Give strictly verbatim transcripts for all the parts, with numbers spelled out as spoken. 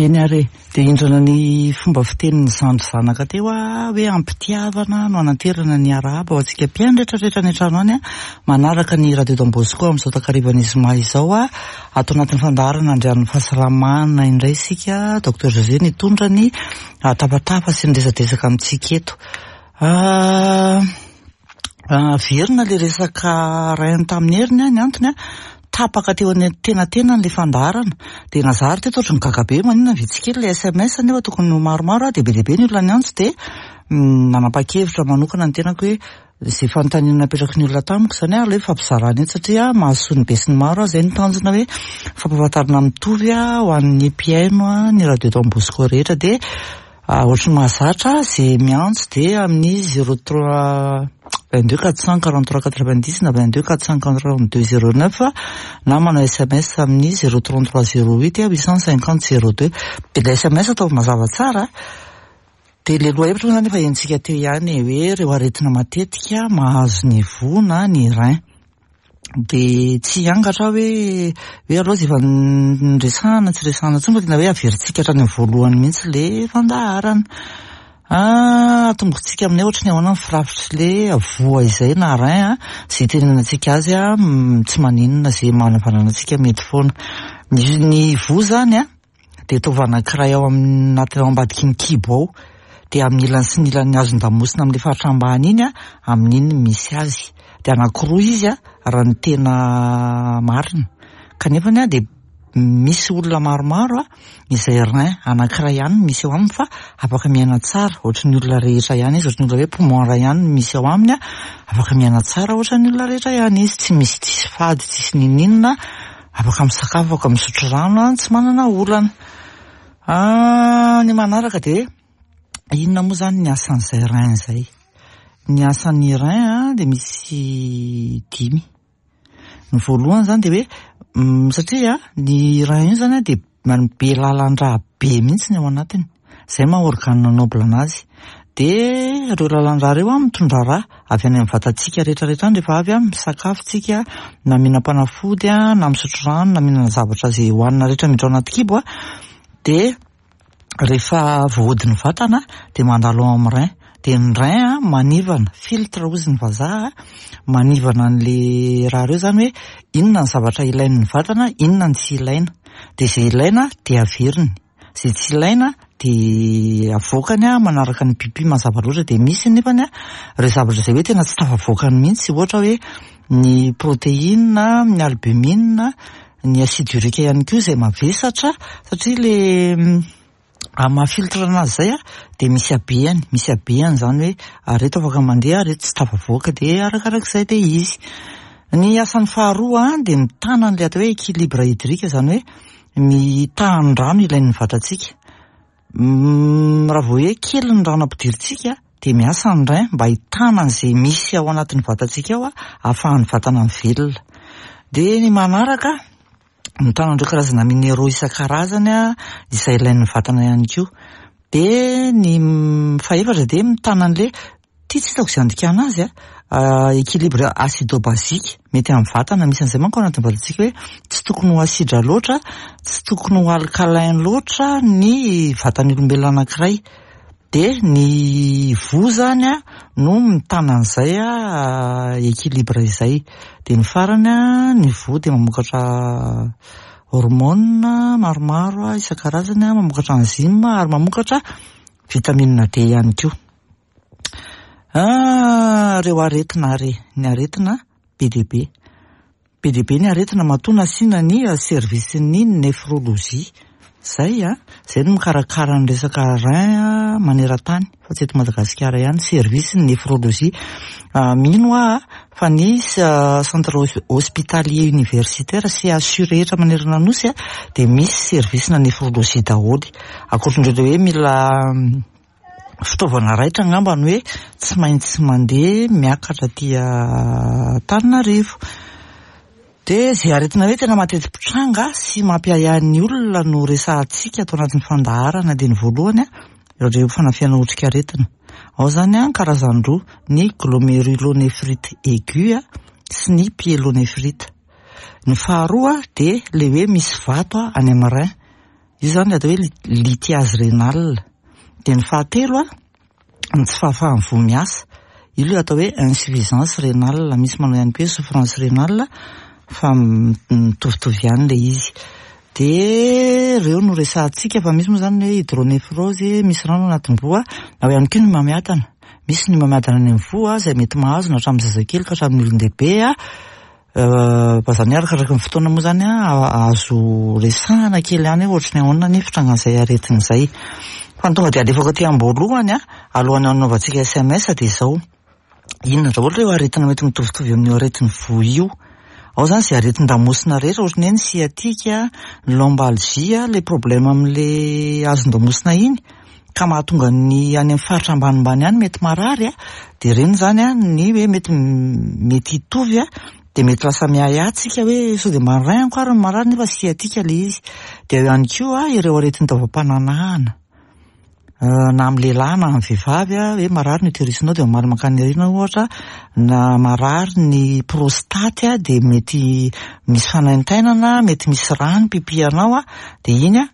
Eny ary e, dia indrana ny fomba fitenin'ny zandry zanaka teo a, hoe ampitiavana no ananterana ny arahaba ho antsika mpihaino rehetrarehetra any an-trano any a, manaraka ny Radio Don Bosco amin'izao takarivan'ny zoma izao a, ato anatin'ny fandaharana Andrian'ny fahasalamana indray isika, Docteur José nitondra ny tapatafa sy ny resadresaka amintsika eto. Averina le resaka rein tamin'ny heriny a, ny antony a, tapaka teo antenantenany le fandaharana, dia nazary teto ohatry ny gaga be maninona vitsy kely le S M S nefa tokony ho maromaro a, dia be dia be ny olona niantso, dia nanapa-kevitra manokana ny tenako hoe zay fanontaniana napetraky ny olona tamiko zany a, aleo ifampizarana eto satria mahasoa ny be sy ny maro a. Zay ny tanjona hoe fampahafantarana mitovy a ho an'ny mpihaino a ny Radio Don Bosco rehetra. Dia ohatry ny mahazatra, zay miantso dia amin'ny zéro trois vingt deux quatre cent quarante trois quatre vingt dix na vingt deux quatre cent quarante deux zéro neuf na manao S M S amin'ny zéro trente trois zéro huit huit cent cinquante zéro deux. Dia le S M S atao mazava tsara. Dia le lohahevitra moa zany efa henontsika teo ihany hoe ireo aretina matetika mahazo ny voa na ny rein. Dia tsy hiangatra hoe hoe aloha zay efa niresahana tsy resahana intsony fa tena hoe averintsika hatrany amin'ny voalohany mihitsy le fandaharana. Atombotsika aminay ohatry ny ahoana ny firafitry le voa izay na rein a, zay itenenantsika azy a, tsy maninona zay manavanana antsika, mety foana. Ny ny voa zany a dia taova anankiray ao anaty ao ambadiky ny kibo ao, dia amin'ny ilany sy ny ilany hazon-damosina amin'le faritra ambany iny a, amin'iny misy azy. Dia anankiroa izy a raha ny tena marina, kanefany a dia misy olona maromaro a izay rein anankiray ihany misy eo aminy fa afaka miaina tsara ohatry ny olona rehetra ihany izy, ohatry ny olona hoe poumon iray ihany misy ao aminy a, afaka miaina tsara ohatry ny olona rehetra ihany izy, tsy misy tsisy fady, tsisy nininona, afaka misakafo, afaka misotro rano a, tsy manana olana. Ny manaraka dia inona moa zany ny asan'izay rein zay? Ny asan'ny rein a dia misy dimy. Ny voalohany zany dia hoe satria ny rein io zany a dia be lalan-drà be mihitsy ny ao anatiny, zay maha organe noble anazy. Dia ireo lalan-drà ireo a mitondra rà avy any amin'ny vatantsika rehetrarehetra any rehefa avy a misakafo tsika, na mihinam-panafody a, na misotro rano, na mihinana zavatra zay hohanina rehetra miditra ao anaty kibo a, dia rehefa voahodin'ny vatana dia mandalo ao amin'ny rein. Dia ny rein a manivana, filtre hozy ny vazaha, manivana an'le raha ireo zany hoe inona ny zavatra ilain'ny vatana, inona ny tsy ilaina. Dia izay ilaina dia averiny, izay tsy ilaina dia avoakany a manaraka ny pipi mazava loatra. Dia misy nefany a ireo zavatra izay hoe tena tsy tafavoakany mihitsy, ohatra hoe ny protéine, ny albumine, ny acide urique ihany koa izay mavesatra, satria le amin'ny maha filtre anazy zay a dia misy habeany, misy habeany zany hoe areto afaka mandeha, areto tsy tafavoaka, dia arakarak'izay le izy. Ny asan'ny faharoa a dia mitana an'ilay atao hoe équilibre hydrique, zany hoe ny tahan'ny rano ilain'ny vatantsika. Raha vao hoe kely ny rano ampidirintsika dia miasa ny rein mba hitana an'izay misy ao anatin'ny vatantsika ao a ahafahan'ny vatana mivelona. Dia ny manaraka, mitana an'ireo karazana minéraux isan-karazany a izay ilain'ny vatana ihany koa. Dia ny fahefatra dia mitana an'le ty tsy hitako izay andikana azy a, équilibre acido-basique mety amin'ny vatana. Misy an'izay manko ao anatin'ny vatantsika hoe tsy tokony ho asidra loatra, tsy tokony ho alcalin loatra ny vatan'ny olombelona anankiray. Dia ny voa zany a no mitana an'izay a équilibre izay. Dia ny farany a, ny voa dia mamokatra hormone maromaro a isan-karazany a, mamokatra enzyme ary mamokatra vitamine D ihany koa. Ireo aretina ary, ny aretina be dia be. Be dia be ny aretina matoa nasiana ny service-n'ny néphrologie. Zay a, zay no mikarakara ny resaka rein maneran-tany fa tsy eto Madagasikara ihany, service ny néphrologie. Mino aho fa ny centre hospitalier universitaire C H U rehetra manerana nosy a dia misy service na néphrologie daholo. Ankoatran'ireo hoe mila fitaovana raitra angamba ny hoe tsy maintsy mandeha miakatra aty Antananarivo. Dia izay aretina hoe tena mateti-pitranga sy mampiahiahy ny olona no resahantsika ato anatin'ny fandaharana. Dia ny voalohany a, ireo fanafihana otrikaretina. Ao zany a karazany roa, ny glomérulonéphrite aiguë sy ny pyélonéphrite. Ny faharoa dia le hoe misy vato a any amin'ny rein. Io zany atao hoe lithiase rénale. Dia ny fahatelo a, ny tsy fahafahan'ny voa miasa. Io ilay atao hoe insuffisance rénale. Misy manao ihany koa hoe souffrance rénale fa mitovitovy ihany ilay izy. Dia ireo no resahantsika fa misy moa zany hoe hydronéphrose, misy rano anatin'ny voa, ao ihany koa ny homamiadana. Misy ny homamiadana any amin'ny voa izay mety mahazo na hatramin'ny zazakely ka hatramin'ny olon-dehibe a. Fa zany hoe arakaraka ny fotoana moa zany a, azo resahana kely ihany hoe ohatry ny ahoana ny fitrangan'izay aretina izay. Fa ny tonga dia alefako aty am-boalohany a, alohan'ny hanaovantsika S M S dia izao. Inona daholo ireo aretina mety mitovitovy amin'io aretin'ny voa io? Ao zany izay aretin-damosina rehetra, ohatry ny hoe ny sciatique, ny lombalgie, le problème amin'le hazon-damosina iny, ka mahatonga ny any amin'ny faritra ambanimbany any mety marary a, dia ireny zany a, ny hoe mety mety hitovy a, dia mety lasa miahiahy tsika hoe sao dia maray any koa ary ny marary nefa sciatique le izy. Dia eo ihany koa ireo aretin'ny taovam-pananahana. Na amin'ny lehilahy na amin'ny vehivavy a, hoe marary ny utérus-nao dia mamaly mankany aoriana ohatra, na marary ny prostate a, dia mety misy fanaintainana, mety misy rano pipihanao a, dia iny a,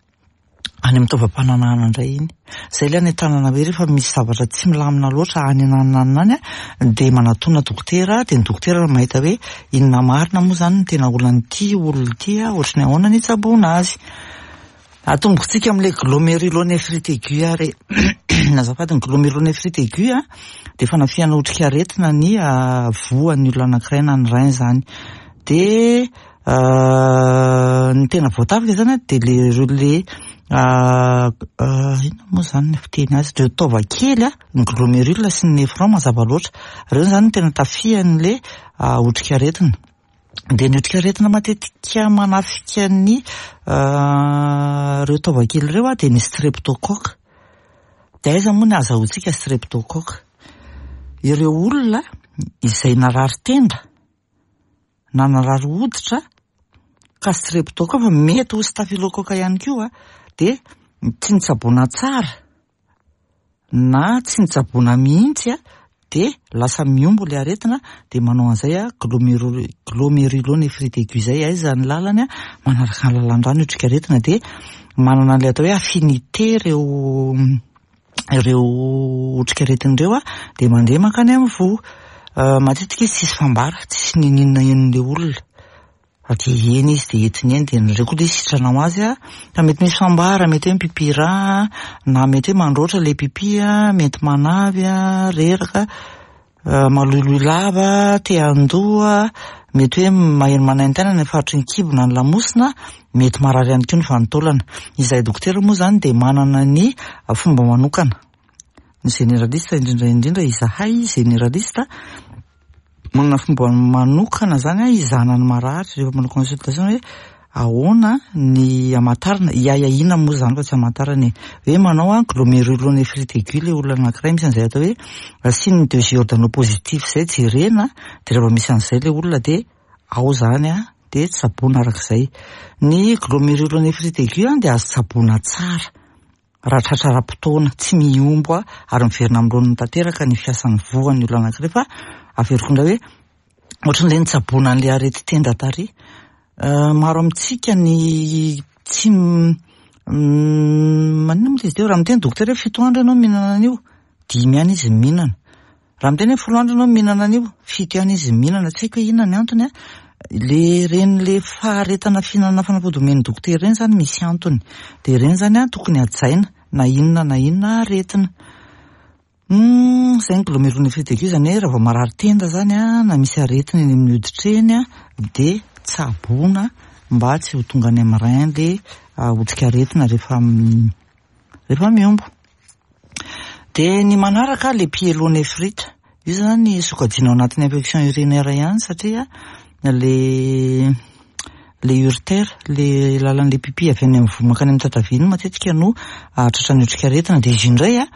any amin'ny taovam-pananahana indray iny. Izay ilay anentanana hoe rehefa misy zavatra tsy milamina loatra any anananana any a, dia manatona dokotera, dia ny dokotera no mahita hoe inona marina moa zany no tena olan'ity olona ity a, ohatry ny ahoana ny hitsaboana azy. Atombokontsika amin'ilay glomérulonéphrite aiguë ary. Azafady, ny glomérulonéphrite aiguë a, dia fanafihana otrikaretina ny voan'ny olona anankiray na ny rein zany. Dia ny tena voatafika zany a, dia le ireo le, inona moa zany ny fiteny azy, ireo taova kely a, ny glomérule sy ny néphron mazava loatra. Ireo zany no tena tafihan'le otrikaretina. Dia ny otrikaretina matetika manafika ny ireo taova kely ireo a, dia ny streptocoque. Dia aiza moa ny ahazahoantsika streptocoque? Ireo olona izay narary tenda na narary hoditra ka streptocoque, fa mety ho staphylocoque ihany koa, dia tsy nitsaboana tsara na tsy nitsaboana mihitsy a, dia lasa mihombo ilay aretina, dia manao an'izay a, gloméru-, glomérulonéphrite aiguë izay. Aiza ny lalany a, manaraka ny lalan-drano io otrikaretina, dia manana an'ilay atao hoe affinité ireo, ireo otrikaretina ireo a, dia mandeha mankany amin'ny voa. Matetika izy tsisy fambara, tsisy nininona henon'ilay olona. Fa dia eny izy, dia entiny eny, dia nareo koa ilay sitrana ho azy a. Fa mety misy fambara, mety hoe mipipi rà, na mety hoe mandroatra ilay pipi a, mety manavy a, reraka, maloiloy lava, te handoa, mety hoe maheno manaintaina ny faritry ny kibo na ny lamosina, mety marary ihany koa ny vanin-taolana. Izahay dokotera moa zany dia manana ny fomba manokana. Ny généraliste indrindra indrindra izahay généraliste manana fomba manokana zany a, hizahana ny marary rehefa manao consultation hoe ahoana ny hamantarana, hiahiahiana moa zany fa tsy hamantarana e. Hoe manao a glomérulonéphrite aiguë ilay olona anankiray, misy an'izay atao hoe signe de Giordano positif izay jerena, dia rehefa misy an'izay ilay olona dia ao zany a, dia tsaboina arak'izay. Ny glomérulonéphrite aiguë a dia azo tsaboina tsara raha tratra ara-potoana, tsy mihombo a, ary miverina amin'ny laoniny tanteraka ny fiasan'ny voan'ny olona anankiray. Fa averiko indray hoe ohatran'ilay nitsaboana an'ilay areti-tenda tary. Maro amintsika ny tsy m-, maninona moa izy teo, raha miteny dokotera hoe fito andro ianao mihinana an'io, dimy ihany izy mihinana. Raha miteny hoe folo andro ianao mihinana an'io, fito ihany izy mihinana. Tsy haiko hoe inona ny antony a. Le reny le faharetana fihinanana fanafody omen'ny dokotera ireny zany misy antony. Dia ireny zany a tokony hajaina na inona na inona aretina. Hmm, izay ny glomérulonéphrite aiguë zany hoe raha vao marary tenda zany a, na misy aretina eny amin'ny hoditra eny a, dia tsaboina mba tsy ho tonga any amin'ny rein le otrikaretina rehefa m-, rehefa mihombo. Dia ny manaraka le pyélonéphrite. Io zany sokajiana ao anatin'ny infection urinaire ihany satria le, le uretère, le lalan'le pipi avy any amin'ny voa mankany amin'ny tatavia iny matetika no tratran'ny otrikaretina. Dia izy indray a,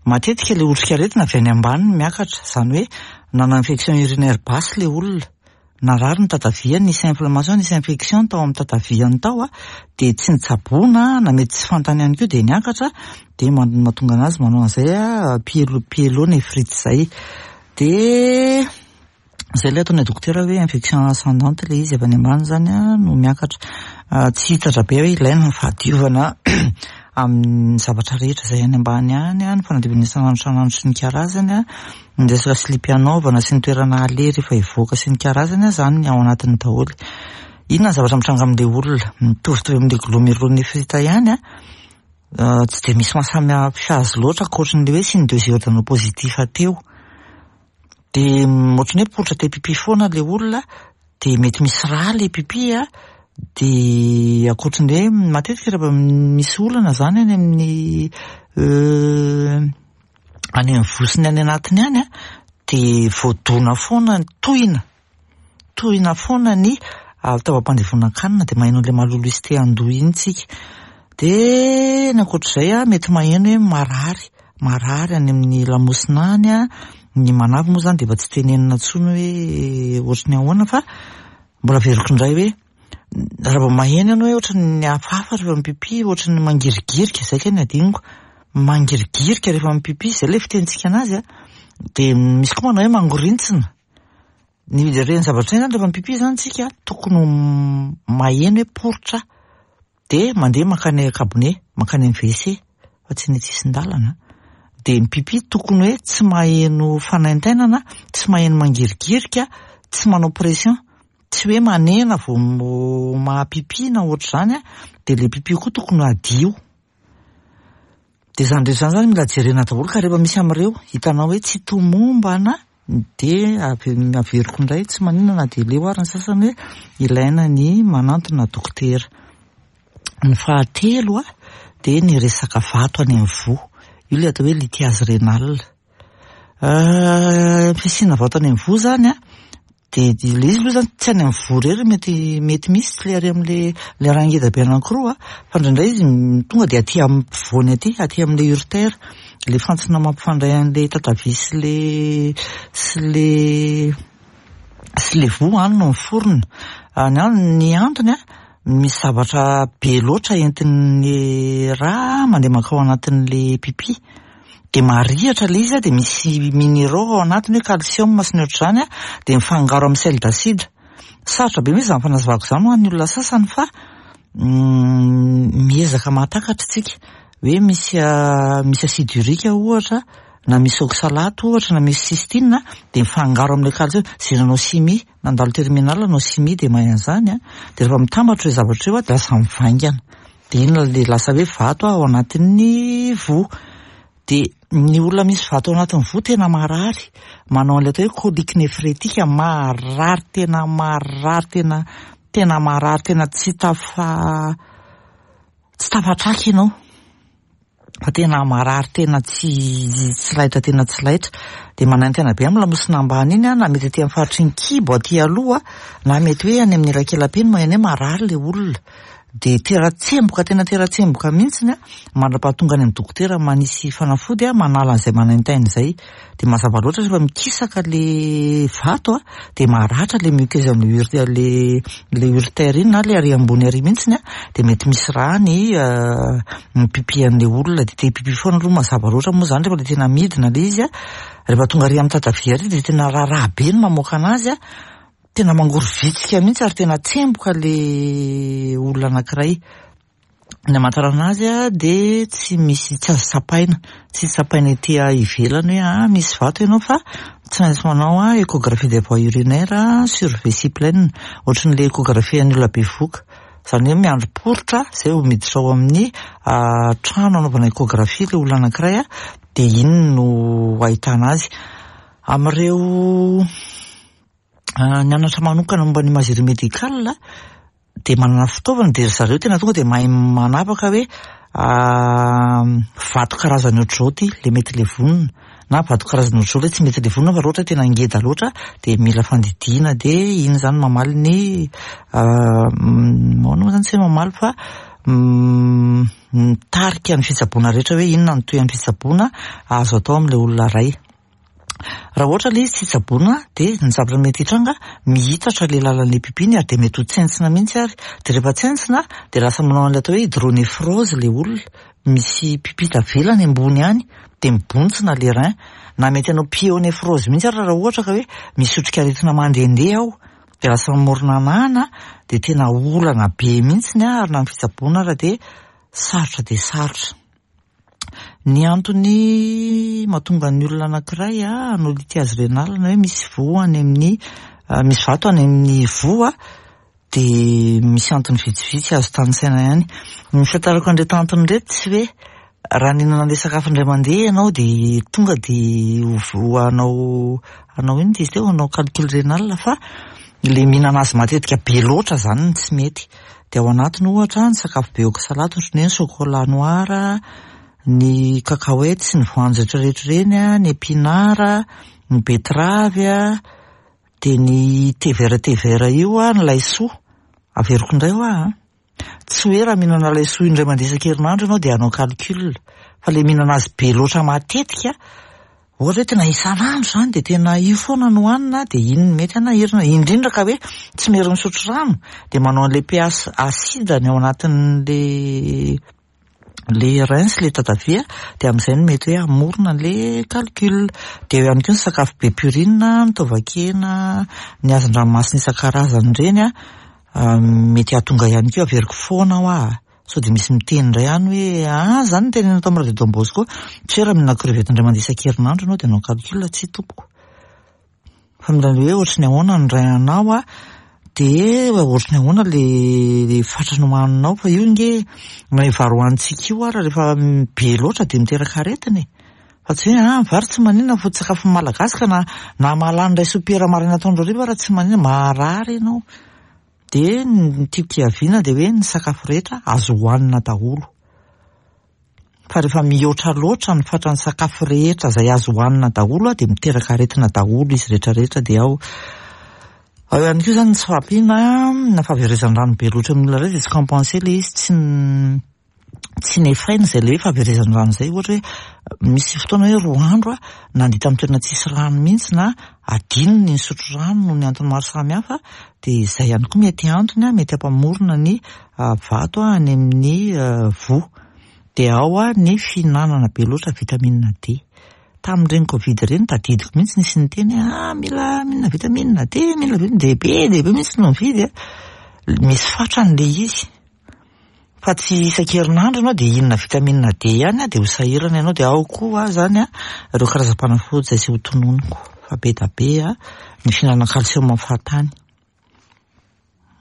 matetika le otrikaretina avy any ambany no miakatra, izany hoe nanana infection urinaire basse le olona, narary ny tataviany, nisy inflammation, nisy infection tao amin'ny tataviany tao a, dia tsy nitsaboana na mety tsy fantany ihany koa dia niakatra, dia man-, mahatonga anazy manao an'izay a, pyélo-, pyélonéphrite izay. Dia izay ilay ataon'ny dokotera hoe infection ascendante ilay izy avy any ambany zany a no miakatra. Tsy hitatra be hoe ilaina ny fahadiovana amin'ny zavatra rehetra izay any ambany any, ny fanadiovana isan'andro isan'andro sy ny karazany, ny resaka slipy anaovana sy ny toerana aleha rehefa hivoaka sy ny karazany, izany ao anatiny daholo. Inona ny zavatra mitranga amin'ilay olona? Mitovitovy amin'ilay glomérulonéphrite ihany, tsy dia misy mahasamihafa azy loatra ankoatran'ilay hoe signe de Giordano positif teo. Dia ohatran'ny hoe poritra te pipi foana ilay olona, dia mety misy rà ilay pipi, dia ankoatran'ny hoe matetika rehefa misy olana izany any amin'ny any amin'ny vosiny any anatiny any, dia voadona foana ny tohina, tohina foana ny fitaovam-pandevonan-kanina, dia maheno an'ilay maloloha sy te handoa iny tsika. Dia ny ankoatr'izay, mety maheno hoe marary, marary any amin'ny lamosina any, ny manavy moa izany dia efa tsy tenenina intsony hoe ohatran'ny ahoana, fa mbola averiko indray hoe raha vao maheno ianao hoe ohatran'ny hafahafa rehefa mipipi, ohatran'ny mangirigirika, izay kay no adinoko, mangirigirika rehefa mipipi, izay ilay fitenintsika anazy, dia misy koa manao hoe mangorintsina. Ny ireny zavatra ireny zany rehefa mipipi zany tsika tokony ho maheno hoe poritra, dia mandeha mankany cabinet, mankany amin'ny W C fa tsy ny tsisin-dalana. Dia mipipi tokony hoe tsy maheno fanaintainana, tsy maheno mangirigirika, tsy manao pression, tsy hoe manena vao mahapipi na ohatr'izany, dia ilay pipi koa tokony hadio. Dia izany rehetra izany zany mila jerena daholo, ka rehefa misy amin'ireo hitanao hoe tsy tomombana, dia averiko indray, tsy maninona na dia leo ary ny sasany, hoe ilaina ny manantona dokotera. Ny fahatelo a dia ny resaka vato any amin'ny voa, io ilay atao hoe lithiase rénale. Fisiana vato any amin'ny voa zany a, dia ilay izy aloha zany tsy any amin'ny voa irery mety mety misy, tsy le ary amin'le le raha ngeda be anankiroa, fa indraindray izy tonga dia aty amin'ny ampovoany aty, aty amin'le uretère, le fantsona mampifandray an'le tatavia sy le sy le sy le voa any no miforona. Ny ny antony a, misy zavatra be loatra entin'ny rà mandeha mankao anatin'le pipi, dia marihatra ilay izy, dia misy minéraux ao anatiny hoe calcium sy ny ohatr'izany, dia mifangaro amin'ny sel d'acide. Sarotra be mihitsy izany fanazavako izany ho an'ny olona sasany, fa miezaka mahatakatra tsika hoe misy misy acide urique ohatra, na misy oxalate ohatra, na misy cystine, dia mifangaro amin'ilay calcium. Izay nanao chimie, nandalo terminale nanao chimie, dia mahay an'izany a. Dia rehefa mitambatra ireo zavatra ireo, dia lasa mivaingana, dia iny le lasa hoe vato ao anatin'ny voa. Dia ny olona misy vato ao anatin'ny voa tena marary, manao an'ilay atao hoe colique néphrétique, marary tena marary, tena tena marary, tena tsy tafa tsy tafatraka ianao, fa tena marary, tena tsy tsy laitra, tena tsy laitra, dia manaintaina be amin'ny lamosina ambany iny, na mety aty amin'ny faritry ny kibo aty aloha, na mety hoe any amin'ny elakela-peny maheno hoe marary ilay olona, dia tera-tsemboka, tena tera-tsemboka mihitsiny a, mandra-pahatonga any amin'ny dokotera manisy fanafody a manala an'izay manaintaina izay. Dia mazava loatra, rehefa mikisaka le vato a, dia maratra le muqueuse amin'ny ure le le uretère iny, na le ary ambony ary mihitsiny a, dia mety misy rà ny ny pipi an'le olona, dia te pipi foana aloha. Mazava loatra moa zany, rehefa le tena midina le izy a, rehefa tonga ary amin'ny tatavia ary, dia tena raharaha be ny mamoaka anazy a, tena mangorovitsika mihitsy, ary tena tsemboka le olona anankiray. Ny amantarana azy a, dia tsy misy, tsy azo tsapaina, tsy tsapaina ety ivelany hoe a misy vato ianao, fa tsy maintsy manao a échographie des voies urinaires sur vessie pleine, ohatran'le échographie an'ny olona bevoka zany, hoe miandry poritra zay vao miditra ao amin'ny trano anaovana échographie le olona anankiray a, dia iny no ahitana azy. Amin'ireo nianatra manokana momba ny imagerie médicale dia manana fitaovana, dia ry zareo tena tonga dia mahay manapaka hoe vato karazany ohatr'izao ty le mety levonina, na vato karazany ohatr'izao le tsy mety levonina, fa raha ohatra tena ngeda loatra dia mila fandidiana. Dia iny zany mamaly ny ahoana moa zany, tsy hoe mamaly fa mitarika ny fitsaboana rehetra, hoe inona ny toy amin'ny fitsaboana azo atao amin'ilay olona ray. Raha ohatra ilay izy tsy tsaboina, dia ny zavatra mety hitranga, mihitatra le lalan'le pipiny, ary dia mety ho tsentsina mihitsy, ary dia rehefa tsentsina dia lasa manao an'ilay atao hoe hydronéphrose le olona, misy pipi tavela any ambony any, dia mibontsina le rein, na mety hanao pyonéphrose mihitsy ary raha ohatra ka hoe misy otrikaretina mandehandeha ao. De lasa mamorona anana, de tena olana be mihitsiny a, ary na ny fitsaboana ara de sarotra de sarotra. Ny antony mahatonga ny olona anankiray a hanao lithiase rénale na hoe misy voa any amin'ny, misy vato any amin'ny voa, de misy antony vitsivitsy azo tanisaina ihany. Ny fitantarako an'ireto antony ireto tsy hoe raha nihinana an'ilay sakafo indray mandeha ianao de tonga de ho hanao hanao inona izy teo, hanao calcul rénal, fa le mihinana azy matetika be loatra zany no tsy mety. De ao anatiny ohatra ny sakafo be oxalate ohatran'ny hoe ny chocolat noir, ny cacahuète sy ny voanjo rehetrarehetra ireny, ny épinard, ny betterave, de ny thé vert thé vert io, ny laisoa. Averiko indray hoa a, tsy hoe raha mihinana laisoa indray mandeha isan-kerinandro ianao de hanao calcul, fa le mihinana azy be loatra matetika, ohatra hoe tena isan'andro zany de tena io foana no hohanina, de iny no mety hanahirana, indrindra ka hoe tsy mery misotro rano, de manao an'le pH acide ny ao anatin'le le rein sy le tatavia, de amin'izay no mety hoe hamorona an'le calcul. De eo ihany koa ny sakafo be purine, ny taovan-kena, ny hazan-dranomasina isan-karazany ireny a, mety hahatonga ihany koa. Averiko foana hoa, sao de misy miteny indray ihany hoe ah zany no tenenina tao amin'ny Radio Don Bosco, tsy hoe raha mihinana crevette indray mandeha isan-kerinandro ianao de hanao calcul, tsy tompoko. Fa mila hoe ohatry ny ahoana ny rein anao a, de ohatry ny ahoana le le fatrany hohaninao, fa io nge na io vary hohanintsika io ara rehefa be loatra de miteraka aretina e. Fa tsy hoe ah vary tsy maninona foto-tsakafon'ny Malagasy ka na na mahalany iray sopiera maraina atoandro hariva raha tsy maninona, marary ianao. De ny tiako hiaviana de hoe ny sakafo rehetra azo hohanina daholo. Fa rehefa mihoatra loatra ny fatran'ny sakafo rehetra izay azo hohanina daholo a, de miteraka aretina daholo izy rehetrarehetra. De ao ao ihany koa zany ny tsy fahampiana na fahaverezan-drano be loatra amin'ny olona iray, de tsy compensé le izy, tsy tsy nefaina izay le hoe fahaverezan-drano izay. Ohatra hoe misy fotoana hoe roa andro a nandeha tamin'ny toerana tsisy rano mihitsy, na adino ny nisotro rano noho ny antony maro samihafa, de izay ihany koa mety antony a mety hampamorona ny vato any amin'ny voa. De ao a ny fihinanana be loatra vitamine D. Tamin'ireny Covid ireny tadidiko mihitsy nisy niteny hoe ah mila mihinana vitamine D, mila vitamine D be dia be mihitsy no mividy a. Misy fatrany le izy. Fa tsy isan-kerinandro ianao de hihinana vitamine D ihany a, de ho sahirana ianao. De ao koa zany a ireo karazam-panafody izay tsy ho tononiko fa be da be a ny fihinanana calcium fahatany.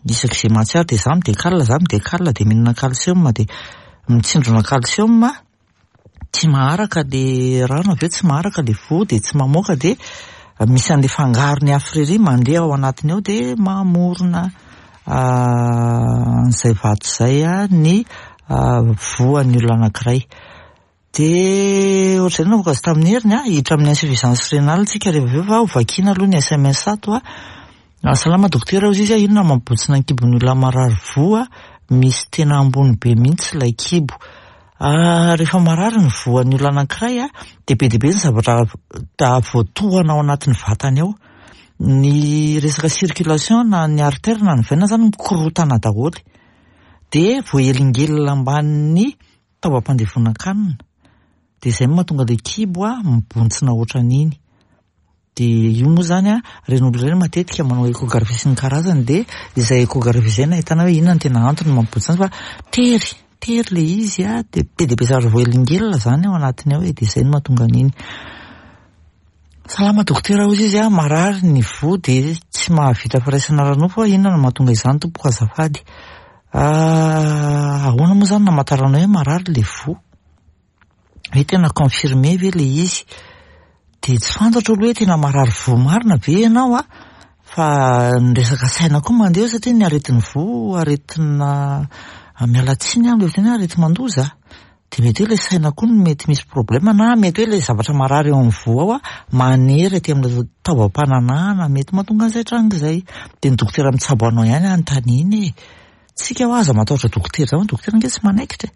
Isaky izay mahatsiaro de za midekala, za midekala de mihinana calcium, de mitsindrona calcium, tsy maharaka le rano avy eo, tsy maharaka le voa, de tsy mamoaka, de misy an'le fangarony hafa irery mandeha ao anatiny ao, de mamorona an'izay vato izay a ny voan'ny olona anankiray. De ohatr'izay no navoaka azy tamin'ny heriny a, hiditra amin'ny insuffisance rénale tsika rehefa avy eo, fa ho vakiana aloha ny S M S ato a. Salama dokotera, hozy izy a, inona mampibotsina ny kibon'ny olona marary voa, misy tena ambony be mihitsy ilay kibo. Rehefa marary ny voan'ny olona anankiray a, de be dia be ny zavatra voatohana ao anatin'ny vatany ao. Ny resaka circulation na ny artère na ny veine zany mikorotana daholo. De voahelingelina ambanin'ny taovam-pandevonan-kanina. De izay no mahatonga ilay kibo a mibontsina ohatran'iny. De io moa zany a, ireny olona ireny matetika manao échographie sy ny karazany, de izay échographie izay no ahitana hoe inona no tena antony mampibontsina azy, fa tery, tery le izy a, de be dia be zavatra voahelingelina zany ao anatiny ao e, de izay no mahatonga an'iny. Salama dokotera, hozy izy a, marary ny voa de tsy mahavita firaisana ara-nofo, inona no mahatonga izany tompoko azafady? Ahoana moa zany namantarana hoe marary le voa? Hoe tena confirmé ve le izy? De tsy fantatro aloha hoe tena marary voa marina ve ianao a, fa ny resaka saina koa mandeha eo, satria ny aretin'ny voa, aretina miala tsiny aho, le tena hoe areti-mandoza. De mety hoe le saina koa no mety misy problème, na mety hoe le zavatra marary eo amin'ny voa ao a manery aty amin'ny taovam-pananahana, mety mahatonga an'izay tranga izay. De ny dokotera mitsabo anao ihany anontaniana e. Tsika hoa aza matahotra dokotera zany, dokotera ange tsy manaikitra e.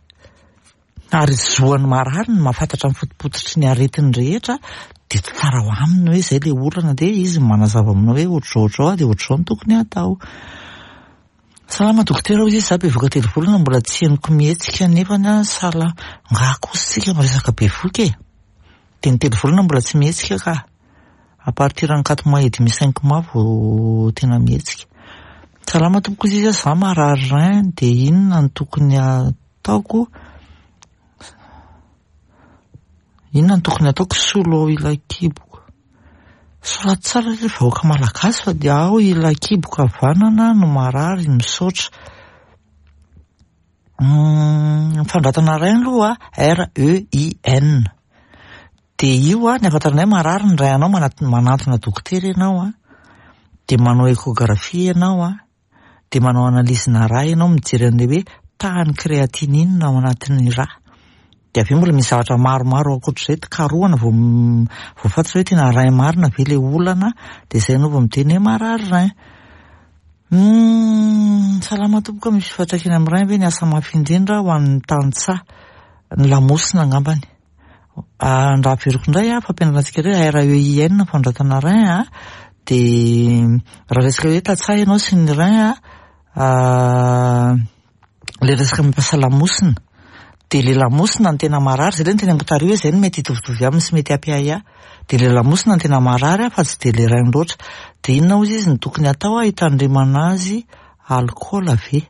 Ary zoan'ny marary ny mahafantatra ny fotopototry ny aretiny rehetra, de tsara ho aminy hoe izay le olana, de izy manazava aminao hoe ohatr'izao ohatr'izao, de ohatr'izao no tokony hatao. Salama dokotera, hozy izy, za bevoka telo volana mbola tsy henoko mihetsika nefany a sala ngaha kosa tsika miresaka bevoka e. De ny telo volana mbola tsy mihetsika ka. À partir ny quatre mois et demi, cinq mois vao tena mihetsika. Salama tompoko izy, za marary rein, de inona no tokony ataoko? Inona no tokony ataoko solo ao ilay kiboko? Soraty tsara ry vahoaka malagasy fa dia ao ilay kiboko havanana no marary, misaotra. Ny fanoratana rein aloha R E I N. Dia io a, ny ahafantarana hoe marary ny rein anao, manantona dokotera ianao a, dia manao échographie ianao a, dia manao analyse-na rà ianao mijery an'ilay hoe tahan'ny créatinine ao anatin'ny rà. Dia avy eo mbola misy zavatra maromaro ankoatr'izay karohana vao vao fantatra hoe tena rein marina ve ilay olana, dia izay ianao vao miteny hoe marary rein. Salama tompoko, misy fiantraikany amin'ny rein ve ny asa mafy indrindra ho an'ny tantsaha? Ny lamosina angambany. Raha averiko indray a, fampianarana antsika hoe R E I N fanoratana rein a, dia raha resaka hoe tantsaha ianao sy ny rein a, ilay resaka mampiasa lamosina, dia ilay lamosina no tena marary, izay ilay noteneniko tary hoe izay no mety hitovitovy aminy sy mety hampiahiahy. Dia ilay lamosina no tena marary fa tsy dia ilay rein loatra. Dia inona hozy izy no tokony atao hitandremana azy? Alikaola ve?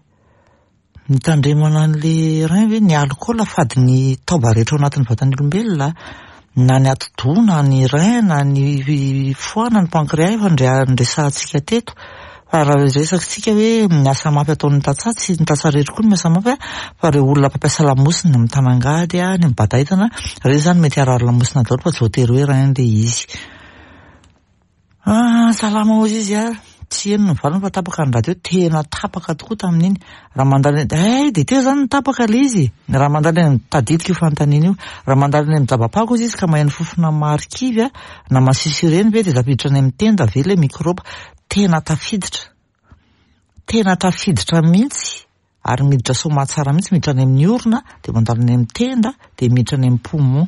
Mitandremana an'ilay rein ve? Ny alikaola fady ny taova rehetra ao anatin'ny vatan'ny olombelona, na ny atidoha, na ny rein, na ny foie, na ny pancréas efa noresahantsika teto. Fa raha resakitsika hoe miasa mafy ataon'ny tantsaha, tsy ny tantsaha rehetra koa no miasa mafy a, fa ireo olona mpampiasa lamosina, mitanangady a, ny mibata entana, ireny izany mety harary lamosina daholo fa tsy voatery hoe rein ilay izy. Ah, salama hozy izy a, tsy heno ny valiny fa tapaka ny radio, tena tapaka tokoa tamin'iny. Raha mandalo eny, eh, dia teo izany ny tapaka ilay izy. Raha mandalo eny, tadidiko io fanontaniana io. Raha mandalo eny amin'ny dabapako hozy izy ka maheno fofona marikivy a, na masiso ireny ve dia tafiditra any amin'ny tenda ve ilay mikrôba? Tena tafiditra. Tena tafiditra mihitsy, ary miditra soamatsara mihitsy, miditra any amin'ny orona, dia mandalo any amin'ny tenda, dia miditra any amin'ny poumon.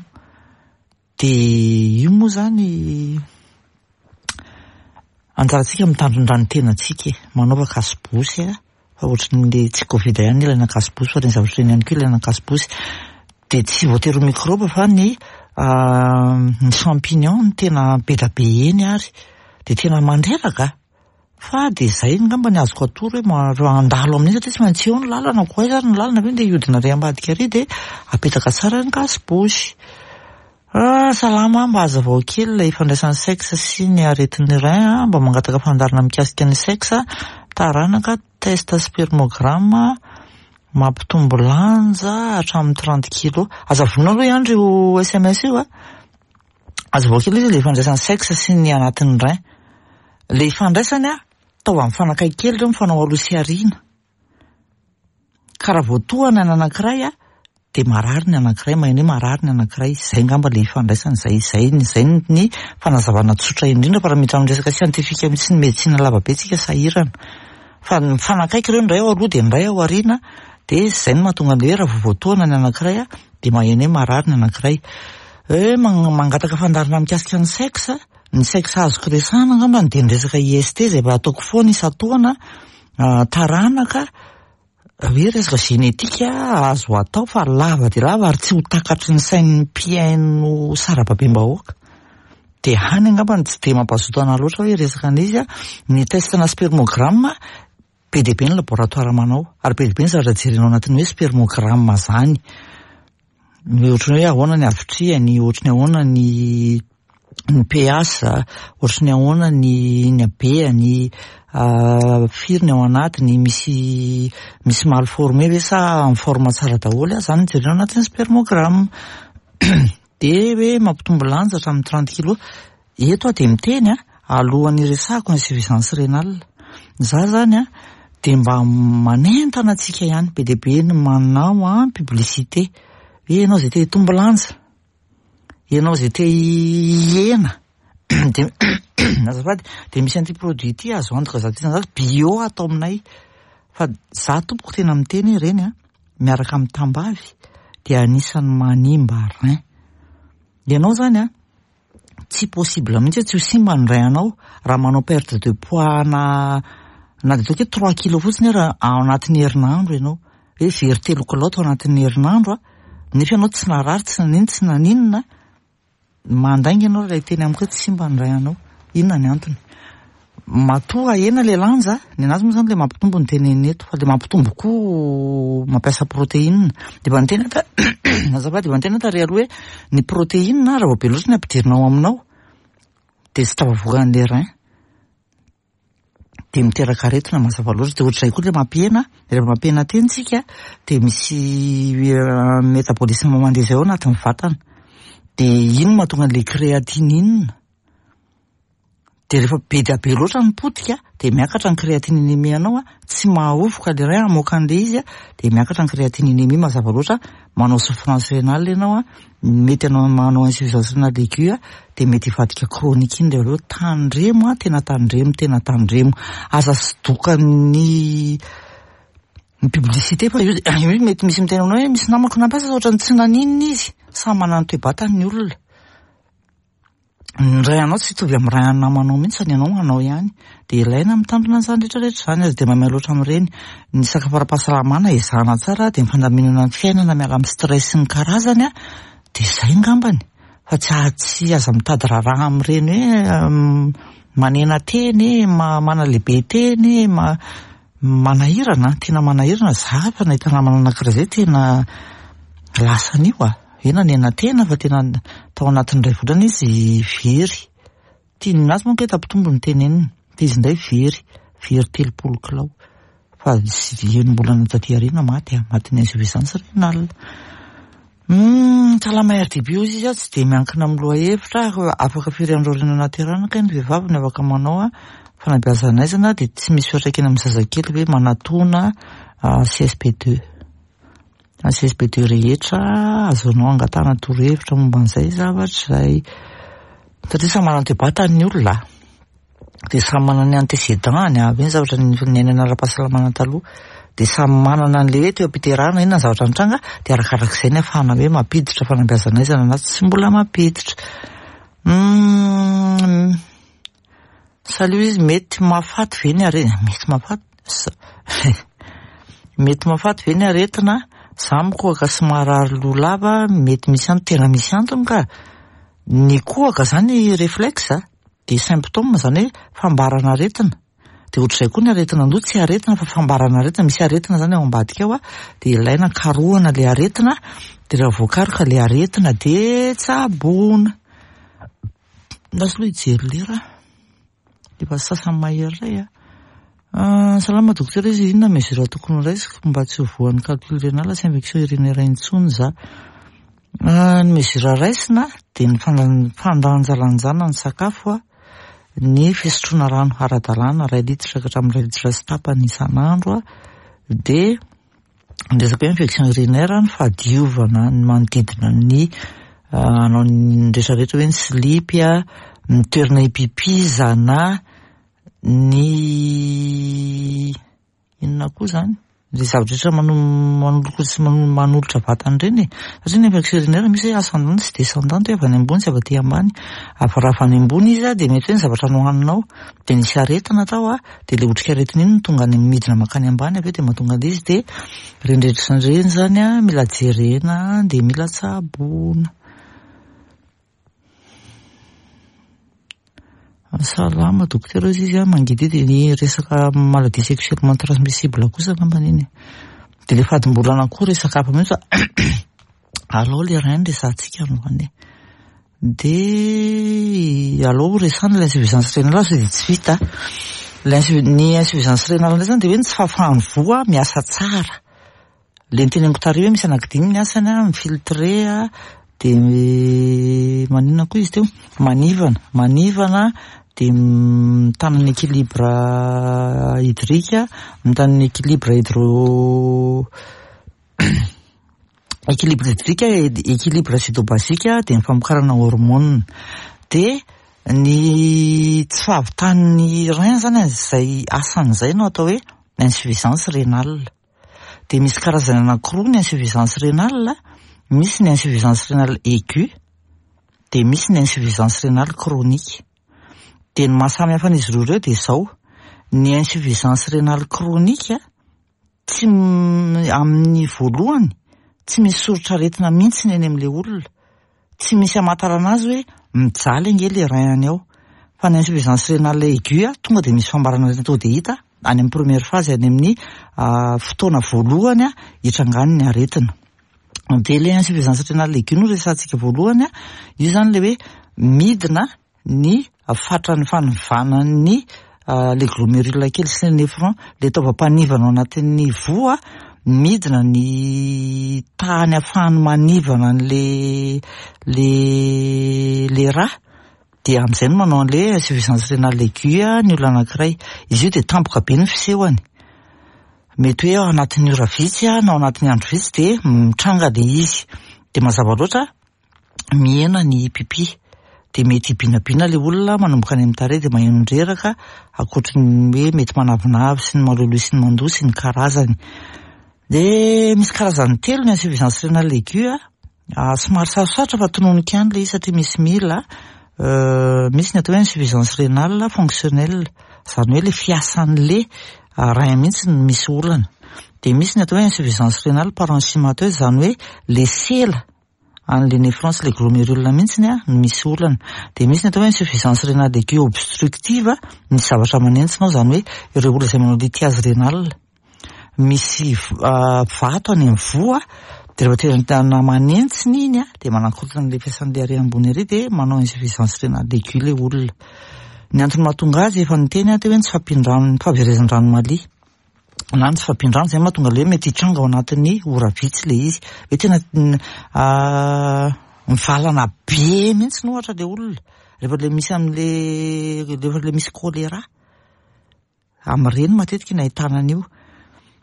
Dia io moa izany anjarantsika mitandrindra ny tenantsika e, manaova kasibosy a, fa ohatran'ilay tsy Covid ihany ilaina kasibosy fa ireny zavatra ireny ihany koa ilaina kasibosy. Dia tsy voatery ho mikrôba fa ny ny champignon no tena be dia be eny ary dia tena mandreraka. Fa dia izay angamba ny azoko atoro hoe raha handalo amin'iny satria tsy maintsy eo ny lalana, koa aiza ary ny lalana ve dia hiodina ary ambadika ary dia apetaka tsara ny kasibosy. Ah, salama, mba hazavao kely ilay ifandraisan'ny sexe sy ny aretin'ny rein a, mba mangataka fandaharana mikasika ny sexe, taranaka, test spermogramme, mampitombo lanja hatramin'ny trente kilos. Aza vonona aloha ihany io S M S io a. Hazavao kely izy ilay ifandraisan'ny sexe sy ny anatin'ny rein. Ilay ifandraisany a, taova mifanakaiky kely ireo mifanao aloha sy aoriana. Ka raha voatohana ny anankiray a, dia marary ny anankiray, maheno hoe marary ny anankiray. Izay angamba ilay ifandraisany, izay, izay, izay ny fanazavana tsotra indrindra fa raha miditra amin'ny resaka siantifika mihitsy ny medisina lava be tsika sahirana. Fa mifanakaiky ireo, ny iray ao aloha dia ny iray ao aoriana, dia izay no mahatonga an'ilay hoe raha vao voatohana ny anankiray a, dia maheno hoe marary ny anankiray. Hoe mangataka fandaharana mikasika ny sexe, ny sexe azoko resahana angamba dia ny resaka I S T izay mba ataoko foana isan-taona, taranaka, hoe resaka genetika azo atao fa lava dia lava ary tsy ho takatry ny sain'ny mpihaino sarababem-bahoaka. Dia hany angamba ny tsy dia mampazoto anahy loatra hoe resaka an'izy a, ny test na spermogramme be dia be ny laboratoire manao ary be dia be ny zavatra jerena ao anatin'ny hoe spermogramme zany. Ny ohatran'ny hoe ahoana ny havitrihany, ohatran'ny ahoana ny ny pH, ohatran'ny ahoana ny ny habehany, firy ny ao anatiny, misy misy mal formé ve sa en forme tsara daholo a, zany no jerena ao anatin'ny spermogramme. Dia hoe mampitombo lanja hatramin'ny trente kilos. Eto aho dia miteny a, alohan'ny resahako insuffisance rénale. Za zany a, dia mba manentana antsika ihany, be dia be ny manao a publicité. Hoe ianao izay te hitombo lanja, ianao izay te hihena, dia azafady, dia misy an'ity produit ity azo antoka zato isan-jato bio atao aminay. Fa za tompoko tena miteny ireny a, miaraka amin'ny tambavy dia anisan'ny manimba rein. Ianao zany a, tsy possible mihitsy hoe tsy ho simba ny rein anao raha manao perte de poids na na dia ataoko hoe trois kilos fotsiny raha ao anatin'ny herinandro ianao. Hoe very telo kilao tao anatin'ny herinandro a, nefa ianao tsy narary, tsy nanino, tsy naninona, mandainga ianao raha hiteny amiko hoe tsy simba ny rein anao. Inona ny antony? Matoa ahena le lanja, ny anazy moa zany le mampitombo ny tenenina eto, fa le mampitombo koa mampiasa protéine. De efa niteny ta azafady, efa niteny tary aloha hoe ny protéine raha vao be loatra ny ampidirinao aminao de tsy tafavoaka an'le rein, de miteraka aretina mazava loatra. De ohatr'izay koa le mampihena, rehefa mampihena tena tsika de misy métabolisme mandeha zay ao anatin'ny vatana, de iny no mahatonga an'le créatinine. De rehefa be dia be loatra ny potika de miakatra ny créatininémie anao a, tsy mahaovoka le rein hamoaka an'le izy a, de miakatra ny créatininémie mazava loatra, manao souffrance rénale ianao a, mety anao manao insuffisance rénale aiguë a, de mety hivadika chronique iny rehefa avy eo. Tandremo a, tena tandremo, tena tandremo, aza sodokan'ny ny publicité fa io io mety misy miteny aminao hoe misy namako nampiasa ohatrany tsy naninona izy. Samy manana ny toe-batany ny olona, ny ray anao tsy hitovy amin'ny ray an'ny namanao mihitsy fa ny anao anao ihany, de ilaina mitandrina an'izany rehetrarehetra zany. Aza de maimay loatra amin'ireny. Ny sakafo ara-pahasalamana ezahana tsara, de ny fandaminana ny fiainana, miala amin'ny stress sy ny karazany a, de zay ngambany fa tsy tsy aza mitady raharaha amin'ireny hoe manena teny, manalehibe teny, ma manahirana, tena manahirana. Za fa nahita namana anankiray zay tena lasa an'io a, hoe nanena tena fa tena tao anatin'ny iray volana izy very. Tiany azy manko hoe tampitombo ny tenenina, fa izy indray very, very telopolo kilao, fa enim-bolana taty aoriana maty a, matin'ny insuffisance rénale. Salama R D B ozy izy a, tsy de miankina amin'ny lohahevitra, afaka firy andro aoriana naterahana kay ny vehivavy no afaka manao a fanabeazana aizana, de tsy misy fiantraikany amin'ny zazakely ve? Manatona C S P deux, C S P deux rehetra azonao angatahana torohevitra momba an'izay zavatra zay, satria samy manana toe-batany ny olona, de samy manana ny antécédent-ny avy iny zavatra niainana ara-pahasalamana taloha, de samy manana an'le hoe teo am-piterahana inona ny zavatra nitranga, de arakarak'izay ny ahafahana hoe mampiditra fanabeazana aizana na tsy mbola mampiditra. Salut izy, mety mahafaty ve ny aretina? Mety mahafaty, mety mahafaty ve ny aretina? Za mikohaka sy marary loha lava, mety misy antony? Tena misy antony ka. Ny kohaka zany réflexe, de symptôme zany hoe fambarana aretina, de ohatr'izay koa ny aretina andoha, tsy aretina fa fambarana aretina, misy aretina zany ao ambadika ao a, de ilaina karohana le aretina, de raha voakaroka le aretina de tsaboina. Lasa aloha hijery lera, efa sasany mahery ray a. Salama docteur izy, inona mesure tokony raisiko mba tsy ho voan'ny calcul rénal sy infection urinaire intsony za? Ny mesure raisina de ny fandanjalanjana ny sakafo a, ny fisotroana rano ara-dalàna, ray litatra ka hatramin'ny ray litatra sy tapany isan'andro a, de ny resaka hoe infection urinaire, ny fahadiovana ny manodidina ny anao ny rehetrarehetra, hoe ny slipy a, ny toerana hipipizana, ny inona koa zany, le zavatra rehetra manolokolo sy manolotra vatana ireny e, satria ny infection urinaire misy hoe ascendante sy descendante, hoe avy any ambony sy avy aty ambany. Avy raha avy any ambony izy a, de mety hoe ny zavatra nohaninao de nisy aretina tao a, de le otrikaretina iny no tonga any midina mankany ambany avy eo, de mahatonga an'le izy, de ireny rehetra ireny zany a mila jerena, de mila tsaboina. Salama docteur izy a, mangidihidy ny resaka maladie sexuellement transmissible kosa angambany iny, de le fadimbolana koa resaka hafa mihitsy, fa alao le rein resahantsika androany, de alao resahana l'insuffisance rénale sao de tsy vita. Ny insuffisance rénale indray zany de hoe ny tsy fahafahan'ny voa miasa tsara, le niteneniko tary hoe misy anankidimy ny asany a, mifiltre a, de maninona koa izy teo, manivana, manivana, de mitana ny équilibre hydrique, mitana ny équilibre hydro équilibre hydrique, équilibre acido-basique, de ny famokarana hormone. De ny tsy fahavitan'ny rein zany zay asan'izay no atao hoe insuffisance rénale. De misy karazany anankiroa ny insuffisance rénale: misy ny insuffisance rénale aiguë, de misy ny insuffisance rénale chronique. De ny mahasamy hafa an'izy roa ireo de zao: ny insuffisance rénale chronique tsy amin'ny voalohany tsy misy soritra aretina mihitsy ny eny amin'le olona, tsy misy amantarana azy hoe mijaly ange le rein-ny ao, Fa ny insuffisance rénale aiguë tonga de misy fambarana aretina tonga de hita any amin'ny première phase, any amin'ny fotoana voalohany a hitrangany ny aretina. De le insuffisance rénale aiguë no resahantsika voalohany a, io zany le hoe midina ny fatran'ny fanivanany le glomérule kely sy ny néphron, le taovam-panivana ao anatin'ny voa, midina ny tahany ahafahany manivana an'le le le rà, de am'izay no manao an'le insuffisance rénale aiguë ny olona anankiray. Izy io de tampoka be ny fisehony, mety hoe ao anatin'ny ora vitsy a na ao anatin'ny andro vitsy de mitranga le izy, de mazava loatra mihena ny pipi, de mety hibinabina le olona manomboka any amin'ny tarehy, de maheno reraka, ankoatry ny hoe mety manavinavy sy ny maloloha sy ny mandoa sy ny karazany. De misy karazany telo ny insuffisance rénale aiguë a, somary sarosarotra fa tononiko ihany le izy satria misy mila. Misy ny atao hoe insuffisance rénale fonctionnelle, zany hoe le fiasan'le rein mihitsy no misy olana. De misy ny atao hoe insuffisance rénale parenchymateuse, zany hoe le sela an'le néphron sy le glomérule mihitsy a no misy olana. De misy ny atao hoe insuffisance rénale aiguë obstructive, misy zavatra manentsina ao, zany hoe ireo olona izay manao lithiase rénale, misy vato any amin'ny voa, de rehefa tena manentsina iny a de manakorontana le fiasan'le ary ambony ary, de manao insuffisance rénale aiguë le olona. Ny antony mahatonga azy efa niteny aho teo hoe ny tsy fahampian-drano, ny fahaverezan-drano malia na ny tsy fahampian-drano, zay mahatonga le hoe mety hitranga ao anatin'ny ora vitsy le izy, hoe tena mivalana be mihitsy no ohatra le olona rehefa le misy am'le rehefa le misy choléra amin'ireny matetika no ahitana an'io.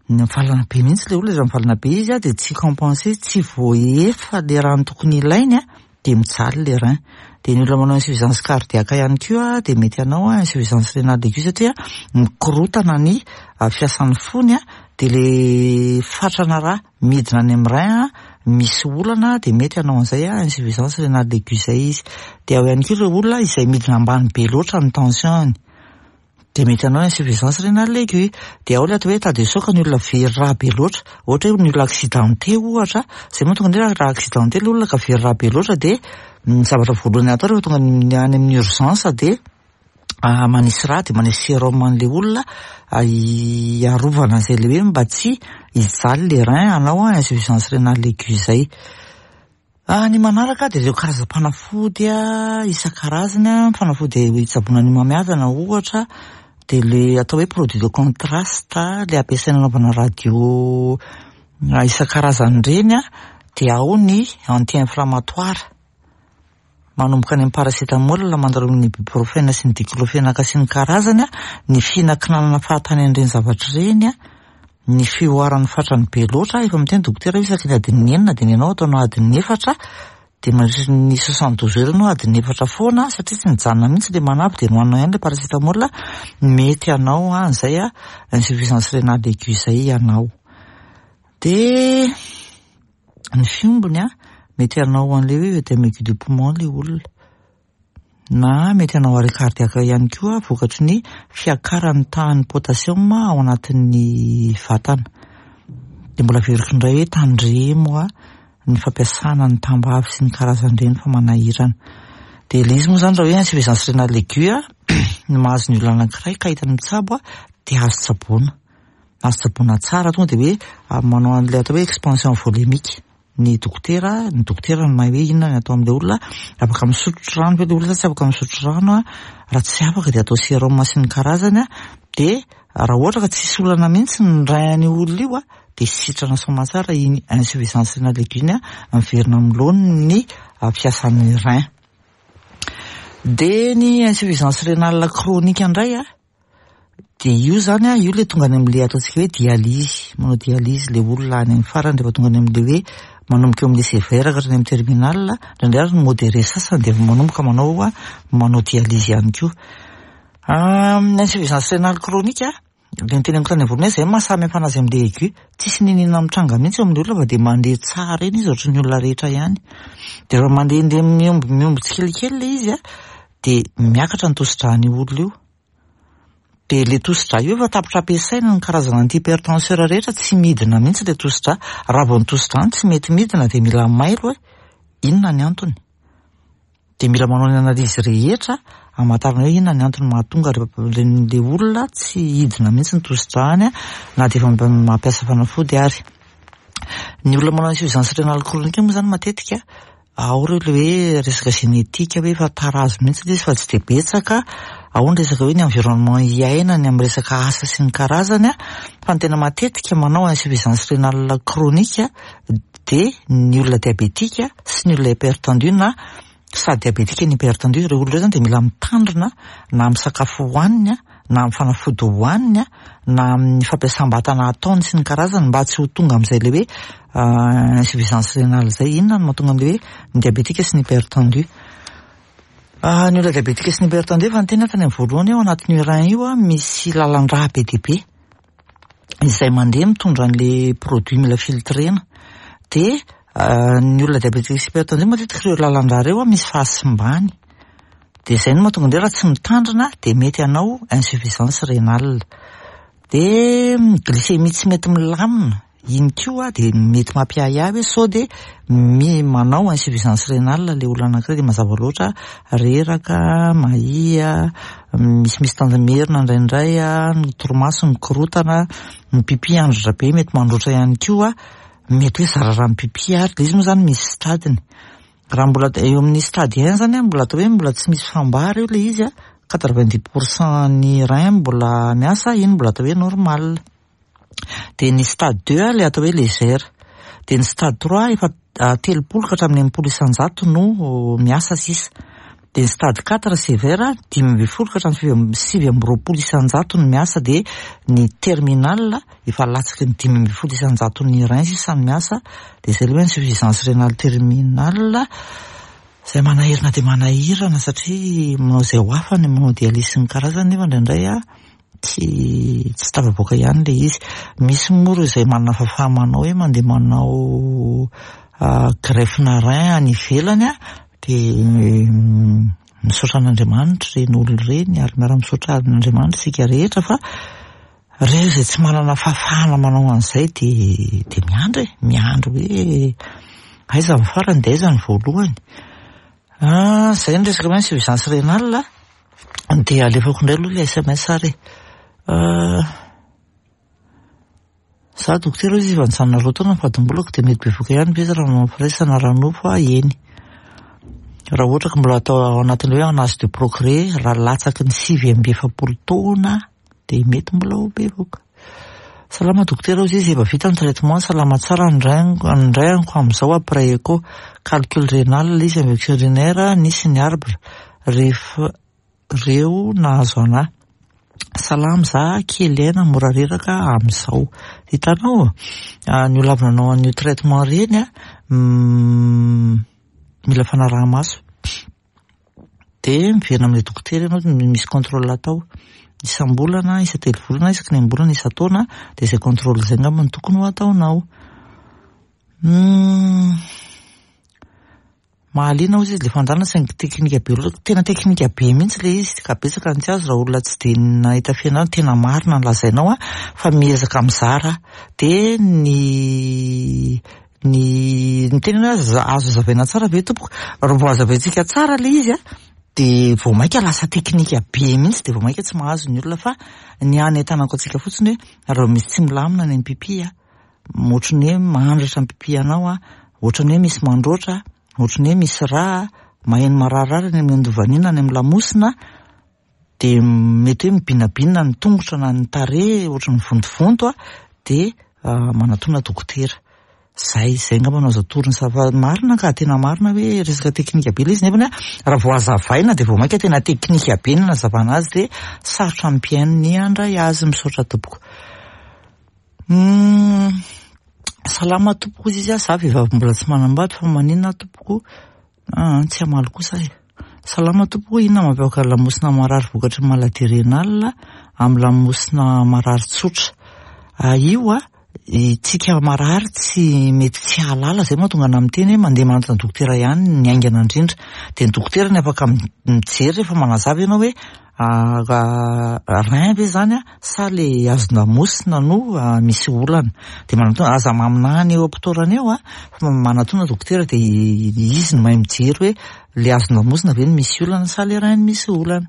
Mivalana be mihitsy le olona, rehefa mivalana be izy a de tsy compensé, tsy voaefa le rano tokony ilainy a, de mijaly le rein. De ny olona manao insuffisance cardiaque ihany koa de mety hanao insuffisance rénale aiguë, satria mikorotana ny fiasan'ny fony a, de le fatrana rà midina any amin'ny rein a misy olana, de mety hanao an'izay a insuffisance rénale aiguë zay izy. De ao ihany koa ireo olona izay midina ambany be loatra ny tension-ny, de mety hanao insuffisance rénale aiguë. De ao le atao hoe état de choc, ny olona very rà be loatra, ohatra hoe ny olona accidenté ohatra, zay mahatonga ny hoe raha accidenté le olona ka very rà be loatra, de ny zavatra voalohany atao rehefa tonga any amin'ny urgence de manisy rà, de manisy sérum an'le olona hiarovana an'izay le hoe mba tsy hijaly le rein hanao insuffisance rénale aiguë zay. Ny manaraka de ireo karazam-panafody a isan-karazany a, fanafody hitsaboana ny homamiadana ohatra, de le atao hoe produit de contraste, le ampiasaina anaovana radio isan-karazany reny a, de ao ny anti-inflammatoire manomboka any amin'ny paracétamol mandalo amin'ny ibuprofène sy ny diclofenac sy ny karazany a, ny fihinankinanana fahatany an'ireny zavatra ireny a, ny fihoaran'ny fatrany be loatra. Efa miteny dokotera hoe isaky ny adin'ny enina de ny anao ataonao adin'ny efatra, de mandritry ny soixante douze heures anao adin'ny efatra foana satria tsy nijanona mihitsy le manavy, de nohaninao ihany le paracétamol, mety hanao an'izay a insuffisance rénale aiguë zay ianao. De ny fiombony a mety hanao an'le hoe œdème aigu de poumon le olona, na mety hanao arrêt cardiaque ihany koa vokatry ny fiakaran'ny tahan'ny potassium ao anatin'ny vatana. De mbola averiko indray hoe tandremo a ny fampiasana ny tambavy sy ny karazan'ireny fa manahirana. De le izy moa zany raha hoe insuffisance rénale aiguë a ny mahazo ny olona anankiray ka hitany mitsabo a, de azo tsaboina, azo tsaboina tsara, tonga de hoe manao an'le atao hoe expansion volémique ny dokotera, ny dokotera no mahay hoe inona ny atao amin'le olona, afaka misotro rano ve le olona sa tsy afaka misotro rano a, raha tsy afaka de atao sérum sy ny karazany a, de raha ohatra ka tsisy olana mihitsy ny rein an'io olona io a, de sitrana soamantsara iny insuffisance rénale aiguë iny a, miverina amin'ny laoniny ny fiasan'ny rein. De ny insuffisance rénale chronique indray a, de io zany a, io le tonga any amin'le ataontsika hoe dialyse, manao dialyse le olona any amin'ny farany rehefa tonga any amin'le hoe manomboka eo amin'le sévère ka hatrany amin'ny terminal, indraindray ary ny modéré sasany de manomboka manao a manao dialyse ihany koa. Ny insuffisance rénale chronique a, le niteneniko tany voalohany hoe zay mahasamy hafa anazy amin'le aigu, tsisy n'inona mitranga mihitsy eo amin'ny olona fa de mandeha tsara eny izy ohatran'ny olona rehetra ihany. De rehefa mandehandeha mihombo mihombo tsikelikely le izy a, de miakatra ny tosi-dràn'io olona io. De le tosi-drà io efa tapitra ampiasaina ny karazana antihypertenseur rehetra, tsy midina mihitsy le tosi-drà. Raha vao ny tosi-drà no tsy mety midina de mila mailo hoe inona ny antony. De mila manao ny analyse rehetra hamantarana hoe inona ny antony mahatonga le olona tsy hidina mihitsy ny tosi-dràny na de efa mampiasa fanafody ary. Ny olona manao insuffisance rénale chronique moa zany matetika ao reo le hoe resaka génétique, hoe efa tarazo mihitsy le izy fa tsy de betsaka, ao ny resaka hoe ny environnement iainany amin'ny resaka asa sy ny karazany a, fa ny tena matetika manao insuffisance rénale chronique de ny olona diabétique sy ny olona hypertendu, na sady diabétique ny hypertendu. Ireo olona ireo zany de mila mitandrina na amin'ny sakafo hohaniny a, na amin'ny fanafody hohaniny a, na amin'ny fampiasam-batana ataony sy ny karazany, mba tsy ho tonga amin'izay le hoe insuffisance rénale zay. Inona no mahatonga am'le hoe ny diabétique sy ny hypertendu? Ny olona diabétique sy ny hypertendu, efa niteny aho tany amin'ny voalohany, eo anatin'io rein io a misy lalan-drà be dia be izay mandeha mitondra an'le produit mila filtrena. De ny olona diabétique sy hypertendu, matetika ireo lalan-drà ireo a misy fahasimbany, de zay no mahatonga andreo raha tsy mitandrina de mety hanao insuffisance rénale. De glycémie tsy mety milamina iny koa de mety mampiahiahy hoe sao de mi manao insuffisance rénale le olona anankiray. De mazava loatra, reraka, mahia, misimisy tanjomerina indraindray a, ny torimaso mikorotana, ny pipi androtra be, mety mandroatra ihany koa, mety hoe zara raha mipipi. Ary le izy moa zany misy stadiny. Raha mbola eo amin'ny stade un zany a, mbola atao hoe mbola tsy misy fambara io le izy a, quatre-vingt-dix pourcent ny rein mbola miasa, iny mbola atao hoe normal. De ny stade deux le atao hoe légère, de ny stade trois efa telopolo ka hatramin'ny enimpolo isanjato no miasa sisa, de ny stade quatre sévère, dimy amby folo ka hatramin'ny sivy amby roapolo isanjato no miasa, de ny terminal efa latsaky ny dimy amby folo isanjato ny rein sisa no miasa, de zay le hoe insuffisance rénale terminale zay manahirana de manahirana, satria manao izay ho afany, manao dialyse sy ny karazany, nefa indraindray a tsy tsy tafavoaka ihany le izy. Misy moa reo izay manana fahafaha-manao hoe mandeha manao greffe-na rein any ivelany a, de misaotra an'Andriamanitra ireny olona ireny, ary miara-misaotra an'Andriamanitra isika rehetra, fa reo izay tsy manana fahafahana manao an'izay de de miandry e, miandry hoe aiza ny farany de aiza ny voalohany. Zay ny resaka hoe insuffisance rénale. De alefako indray aloha le S M S ary e. Za dokotera izy efa nijanona roa taona ny fadimbolako, de mety bevoka ihany ve izy raha manao firaisana ara-nofo a? Eny, raha ohatra ka mbola atao ao anatin'le hoe en âge de procréer, raha latsaky ny sivy amby efapolo taona de mety mbola ho bevoka. Salama dokotera, ozy izy, efa vita ny traitement, salama tsara ny rein ny reinko amin'izao après écho, calcul rénal izy, infection urinaire, nisy ny arbre rehefa reo nahazo anahy. Salama za, kely aina, mora reraka amin'izao. Hitanao, ny olona avy nanao an'io traitement reny a, mila fanaraha-maso, de miverina amin'ilay dokotera ianao, misy contrôle atao isam-bolana, isa-telo volana, isaky ny enim-bolana, isa-taona, de izay contrôle zay angamba no tokony ho ataonao. Mm. Mahaliana ozy izy le fandalana, saingy teknika be loatra, tena teknika be mihitsy le izy ka betsaka ny tsy azo raha olona tsy de nahita fianarana. Tena marina ny lazainao a, fa miezaka mizara, de ny ny ny tena hoe azo hazavaina tsara ve tompoko? Raha vao hazavaintsika tsara le izy a, de vao mainka lasa teknika be mihitsy, de vao mainka tsy mahazo ny olona, fa ny any ahitanako antsika fotsiny hoe raha misy tsy milamina any amin'ny pipi a, ohatry ny hoe mandratra ny pipi anao a, ohatry ny hoe misy mandroatra, ohatry ny hoe misy rà, maheno mararirary any amin'ny andovanina, any amin'ny lamosina, de mety hoe mibinabina ny tongotra na ny tarehy, ohatry ny vontovonto a, de manatona dokotera. Zay, zay angamba no azo atorony sa, fa marina ka, tena marina hoe resaka teknika be le izy, nefany a raha vao hazavaina de vao mainka tena teknika be ny nazavana azy, de sarotra amin'ny mpihaino ny handray azy. Misaotra tompoko. Mm, salama tompoko izy izy a, za vehivavy mbola tsy manambady, fa maninona tompoko? Ah, tsy hamaly kosa e. Salama tompoko, inona mampiavaka lamosina marary vokatry ny maladie rénale amin'ny lamosina marary tsotra? Ah, io a Itsika marary tsy mety tsy hahalala, zay mahatonga ana miteny hoe mandeha manantona dokotera ihany ny haingana indrindra. Dia ny dokotera ny afaka mijery rehefa manazava ianao hoe rein ve zany a sa le hazon-damosina no misy olana. Dia manatona, aza maminany eo am-pitoerana eo a, fa manatona dokotera dia izy no mahay mijery hoe le hazon-damosina ve no misy olana sa le rein no misy olana.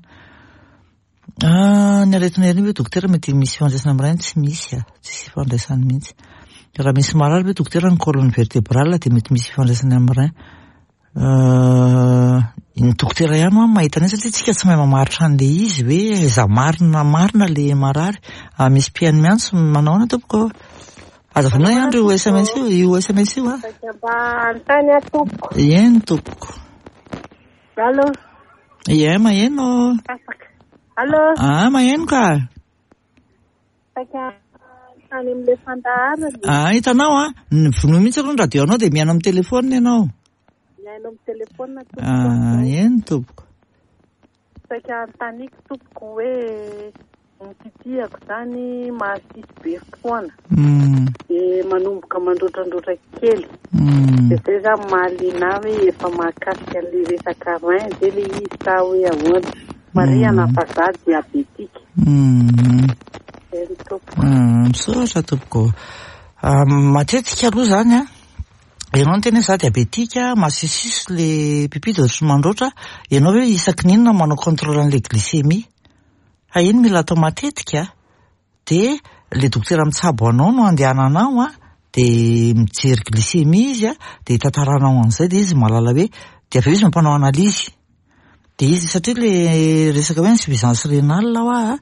Ny aretina hernie ve dokotera mety misy ifandraisana amin'ny rein? Tsy misy a, tsisy ifandraisany mihitsy. Raha misy marary ve dokotera ny colonne vertébrale dia mety misy ifandraisany amin'ny rein? Ny dokotera ihany ho'a mahita an'iny satria tsika tsy mahay mamaritra an'le izy hoe aiza marina marina le marary. Misy mpihaino miantso, manao ahoana tompoko? Aza vonoina ihany io S M S io, io S M S io a. Mba hanontany aho tompoko. Eny tompoko. Allô? Ie, maheno. Afaka. Allô? Ah, maheno ka. Saika tany amin'ilay fandaharana. Ah, hitanao a, ny vonoa mihitsy aloha ny radio anao dia mihaino amin'ny telefônina ianao. Mihaino amin'ny telefônina tompoko. Ah, eny tompoko. Saika anontaniako tompoko hoe ny pipihako zany mahasisy be foana. Mm. Dia manomboka mandrotrandrotra kely. Mm. Dia zay zany mahaliana ahy hoe efa mahakasika an'ilay resaka rein ve ilay izy sa hoe ahoana? Marihana fa za diabetika. Mm. Eny tompoko. Mm, misaotra tompoko. Ah, matetika aloha zany a, ianao no tena hoe za diabetika, masisisy le pipi dia ohatry ny mandroatra, ianao hoe isaky ny inona manao contrôle an'ilay glycémie? Fa iny mila atao matetika, dia le dokotera mitsabo anao no andehananao a, dia mijery glycémie izy a, dia tantaranao an'izay dia izy mahalala hoe, dia avy eo izy mampanao analyse. Dia izy satria le resaka hoe insuffisance rénale hoa,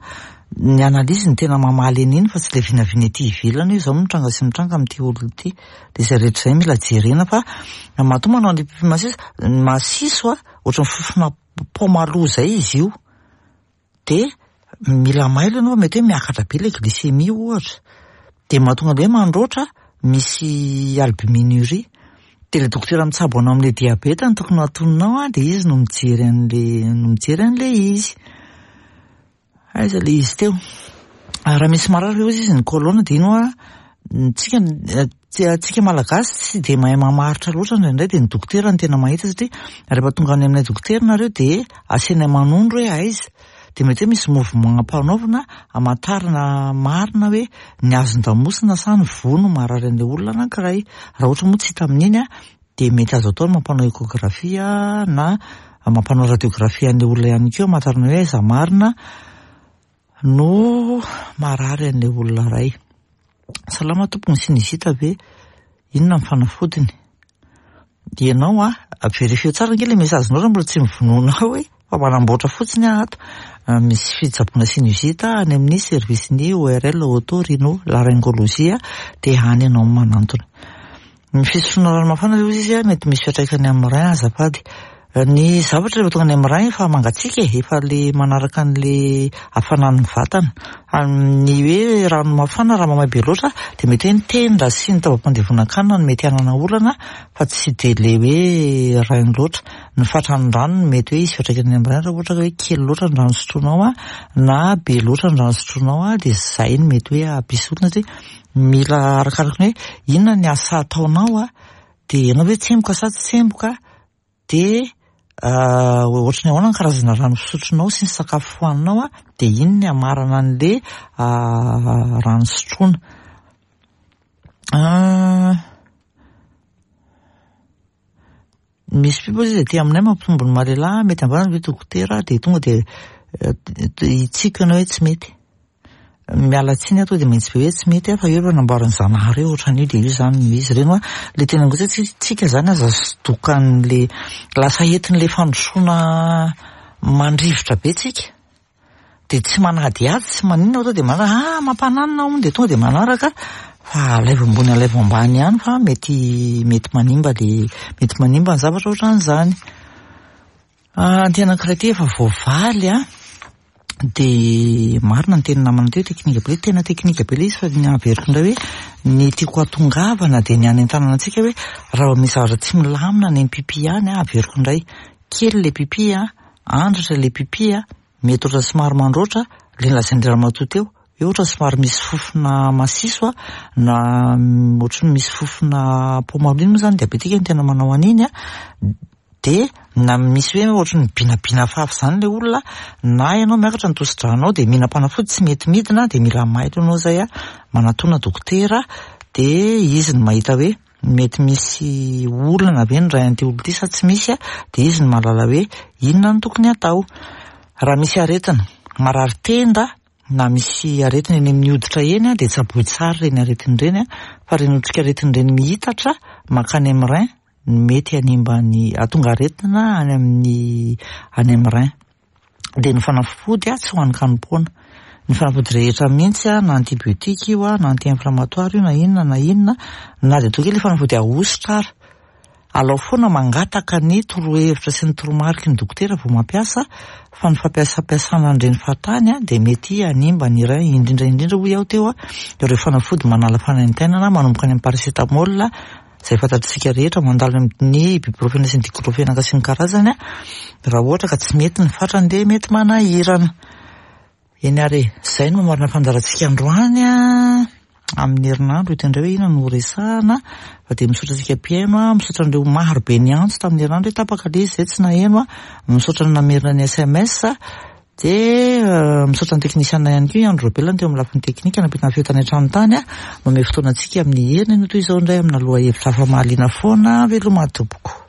ny analyse no tena mamaly an'iny fa tsy le vinavina ety ivelany hoe izao mitranga sy mitranga amin'ity olona ity. Dia izay rehetra izay mila jerena fa matoa manao an'ilay pipi masiso, masiso a, ohatran'ny fofona paoma aloha izay izy io. Dia mila mailo ianao, mety hoe miakatra be ilay glycémie ohatra. Dia mahatonga an'ilay hoe mandroatra, misy albuminurie. Dia ilay dokotera mitsabo anao amin'ilay diabeta no tokony hatoninao a, dia izy no mijery an'ilay, no mijery an'ilay izy. Aiza ilay izy teo? Raha misy marary ve ozy izy ny colonne dia ino a, tsika, tsika malagasy tsy dia mahay mamaritra loatra indraindray, dia ny dokotera no tena mahita satria rehefa tonga any aminay dokotera nareo dia asianay manondro hoe aiza. Dia mety hoe misy mouvement ampanaovina hamantarana marina hoe ny hazon-damosina sa ny voa no marary an'ilay olona anankiray. Raha ohatra moa tsy hita amin'iny a, dia mety azo atao ny mampanao échographie na mampanao radiographie an'ilay olona ihany koa hamantarana hoe aiza marina no marary an'ilay olona iray. Salama tompoko, ny sinusite ve? Inona ny fanafodiny? Ianao a, vérifier tsara ange ilay message-nao raha mbola tsy mivonoanao hoe fa manamboatra fotsiny aho ato. Misy fitsaboana sinusite any amin'ny service-ny O R L oto-rhino laryngologie dia any ianao manantona. Ny fisotroana rano mafana aloha izy a, mety misy fiantraikany amin'ny rein azafady. Ny zavatra rehefa tonga any amin'ny rein efa mangatsiaka e, efa le manaraka an'le hafanan'ny vatana. Ny hoe rano mafana raha mamay be loatra dia mety hoe ny tenda sy ny taovam-pandevonan-kanina no mety hanana olana fa tsy dia le hoe rein loatra. Ny fatran'ny rano no mety hoe hisy fiantraikany amin'ny rein raha ohatra hoe kely loatra ny rano sotroinao a, na be loatra ny rano sotroinao a, dia izay no mety hoe hampisy olana satria mila arakaraka ny hoe inona ny asa ataonao a, dia ianao hoe tsemboka sa tsy tsemboka, dia ohatry ny ahoana ny karazana rano fisotronao sy ny sakafo hohaninao a, dia iny ny hamarana an'le rano sotroina. Misy pipo izy aty aminay mampitombo ny maha-lehilahy, mety ambany ve dokotera, dia tonga dia hitsiko ianao hoe tsy mety. Miala tsiny aho tonga dia mahitsy be hoe tsy mety aho, fa eo efa namboarin'ny Zanahary eo ohatran'io dia io zany no izy. Ireny hoa, le tena ngotsy hoe tsika zany aza sodokan'le lasa entin'le fandrosoana mandrivotra be tsika. Dia tsy manadihady, tsy maninona, tonga dia manaraka, ah, mampananina hono, dia tonga dia manaraka, fa alaivo ambony alaivo ambany ihany fa mety, mety manimba le, mety manimba ny zavatra ohatran'izany. Ah, ny tena anankiray ity efa voavaly a, dia marina ny teny namana teo, teknika be, tena teknika be ilay izy, fa ny averiko indray hoe ny tiako hatongavana dia ny hanentanana antsika hoe raha misy zavatra tsy milamina any amin'ny pipi any a, averiko indray, kely ilay pipi a, andratra ilay pipi a, mety ohatra somary mandroatra, ilay nolazain'ny ramatoa teo, Hoe ohatra somary misy fofona masiso a, na ohatry ny misy fofona pomalo iny moa zany diabetika no tena manao an'iny a, de na misy hoe ohatry ny binabina fafy zany le olona, na ianao miakatra ny tosidranao de mihinam-panafody tsy mety midina, de mila mailo ianao zay a, manatona dokotera, de izy no mahita hoe mety misy olana ve ny ray an'ity olona ity sa tsy misy a, de izy no mahalala hoe inona no tokony atao. Raha misy aretina, marary tenda, na misy aretina eny amin'ny hoditra eny a, de tsaboy tsara ireny aretina ireny a, fa ireny otrikaretina ireny mihitatra mankany amin'ny rein, mety hanimba ny hahatonga aretina any amin'ny any amin'ny rein. De ny fanafody a tsy ho hanin-kanim-poana. Ny fanafody rehetra mihitsy a, na antibiotique io a, na anti-inflammatoire io, na inona na inona, na de toa kely fanafody ahosotra ary. Alao foana mangataka ny torohevitra sy ny toromariky ny dokotera vao mampiasa, fa ny fampiasampiasana an'ireny fahatany a de mety hanimba ny rein, indrindra indrindra hoy aho teo a, ireo fanafody manala fanaintainana manomboka any amin'ny paracétamol, izay fantatsika rehetra, mandalo amin'ny ibuprofène sy ny diclofenac sy ny karazany a, raha ohatra ka tsy mety ny fatrany de mety manahirana. Eny ary e, izay no mamarana fandaharantsika androany a, amin'ny herinandro hita indray hoe inona no horesahana, fa dia misaotra antsika mpihaino a, misaotra an'ireo maro be niantso tamin'ny herinandro hoe tapaka ilay izy izay tsy naheno a, misaotra ny namerina ny S M S, dia misaotra ny teknisiana ihany koa, i Andro Robela teo amin'ny lafiny teknika nampita ny feo tany an-trano tany a, manome fotoana antsika amin'ny heriny no toy izao indray amina lohahevitra hafa mahaliana foana, veloma tompoko.